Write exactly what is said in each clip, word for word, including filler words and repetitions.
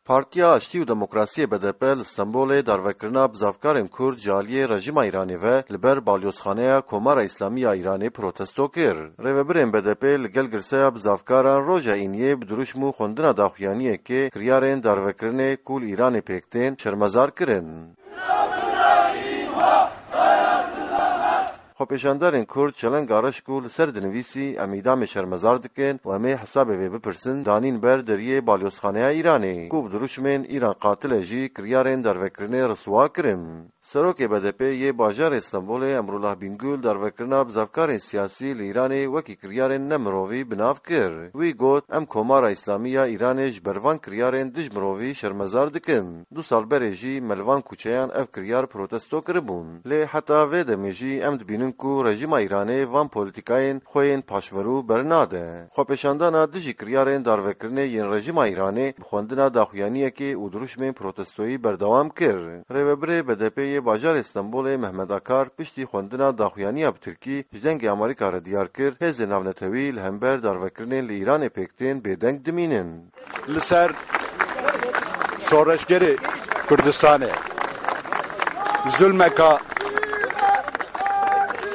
Partiya Aştî û Demokrasiyê B D P li Stenbolê darvekirina bizavkarên Kurd ji aliyê rejîma Îranê ve li ber balyozxaneya Komara Îslamî ya Îranê protesto kir. Rêvebirên B D P li gel girseya bizavkaran roja Îniyê bi dirûşm û xwendina daxuyaniyekê kiryarên darvekirinê ku li Îranê pêk tên şermezar kirin. Xwepêşandarên Kurd çelenga reş ku li ser dinivîsî, "Em îdamê şermezar dikin û em ê hesabê vê bipirsin", danîn ber deriyê balyozxaneya Îranê, ku bi dirûşmên "Îran qatil e" jî kiryarên darvekirinê riswa kirin. Serokê B D P yê bajarê Stenbolê Emrullah Bingul darvekirina bizavkarên siyasî li Îranê wekî kiryarên nemirovî bi nav kir. Wî got, "Em Komara Îslamî ya Îranê ji ber van kiryarên dij mirovî şermezar dikin. Du sal berê jî me li van kuçeyan ev kiryar protesto kiribûn. Lê heta vê demê jî em dibînin ku rejîma Îranê van polîtîkayên xwe yên paşverû bernade." Xwepêşandana dijî kiryarên darvekirinê yên rejîma Îranê bi xwendina daxuyaniyekê û dirûşmên protestoyî berdewam kir. Rêvebirê B D P yê bajarê Stenbolê Mehmet Akar piştî xwendina daxuyaniya bi tirkî ji Dengê Amerîka re diyar kir, hêzên navnetewî li hember darvekirinên li Îranê pêk tên bêdeng dimînin. Li ser şoreşgerê Kurdistanê zulmeka,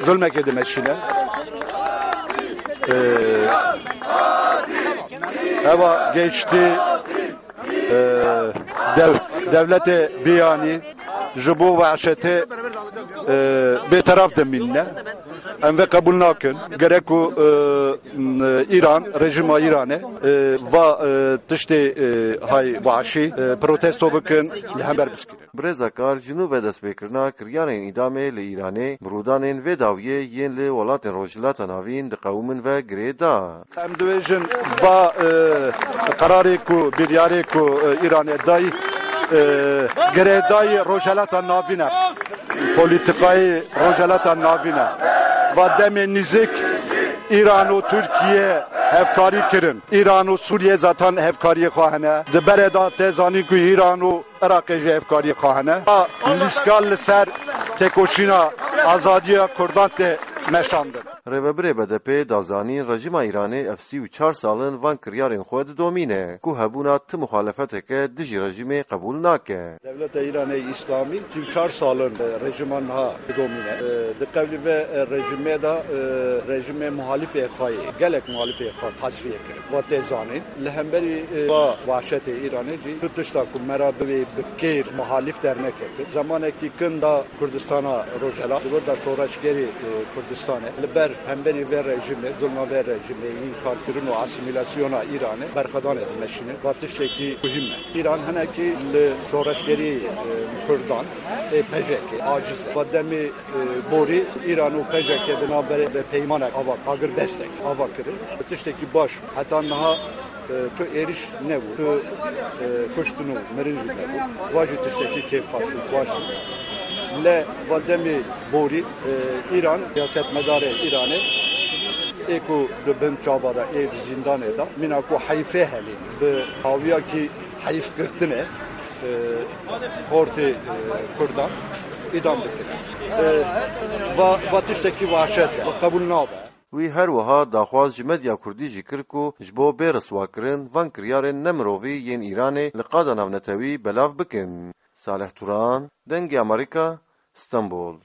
zulmekê dimeşîne. Ee, eva geçti, ee, dev-, devletê biyanî ji bo vehşetê, ee, bêteraf dimîne. Em vê qebûl nakin. Gerek ku, ee, m-, Îran, rejîma Îranê, ee, va, ee, tiştê, ee, hay vahşî, ee, protesto bikin, li hember biskirin. Birêz Akar ji nû ve destpêkirina kiryarên îdamê li Îranê bi rûdanên vê dawiyê yên li welatên Rojhilata Navîn diqewimin ve girê da. Em dibêjin va, e, qerarê ku, biryarê ku, e, Îranê dayî, e, girêdayî Rojhelata Navîn e. Polîtîkayê Rojhelata Navîn e. Va demê nîzik Îran û Tirkiye hevkarî kirin. Îran û Sûriye zaten hevkariyê xwe hene. Di berê de tê zanîn ku Îran û Iraqê jî hevkariyê xwe hene. Va lîska li ser têkoşîna azadiya Kurdan tê meşandin. Rêvebirê B D P da zanîn, rejîma Îranê ev sî û çar sal in van kiryarên xwe didomîne, ku hebûna ti muxalefeteke dijî rejîmê qebûl nake. Dewleta Îranê Îslamî sî û çar sal in, e, rejîma niha didomîne. E, di qewlî ve, e, rejîmê de, e, rejîmê muhalîfê xwe yê, gelek muhalîfê xwe tasfiye kirin. Va tê zanîn. Li hemberî, e, va vahşetê Îranê jî tu tişta ku me re bivê bi kêr muhalîf dernekevin. Zemanekî kin da Kurdistana Rojhela, di wir de şoreşgerê, e, Kurdistanê li ber hemberî vê rejîmê, zulma vê rejîmê, înkarkirin û asîmîlasyona Îranê berxwedanê dimeşînin. Va tiştekî muhîm e. Îran hinekî li şoreşgerî, e, Kurdan, ê P J K aciz e. Va demê e, borî Îran û P J K di navberê bi peymanek ava, agirbestek ava kirin. Bi tiştekî baş, heta niha, e, tu êriş nebû, tu, e, kuştin û mirin jî nebû. Va jî tiştekî kêfxweş û baş e. Lê va demê borî, e, Îran, siyasetmedarê Îranê, ê ku di bin çava de, ê di zîndanê de, mîna ku heyfê helî, bi hawiyakî heyfgirtinê, e, xortê, e, Kurdan îdam dikirin. E, va, va tiştekî vahşet e, qebûl nabe. Wî her wiha daxwaz ji medya kurdî jî kir ku ji bo bê riswakirin van kiryarên nemirovî yên Îranê li qada navnetewî belav bikin. Salih Turan, Dengê Amerîka, Stenbol.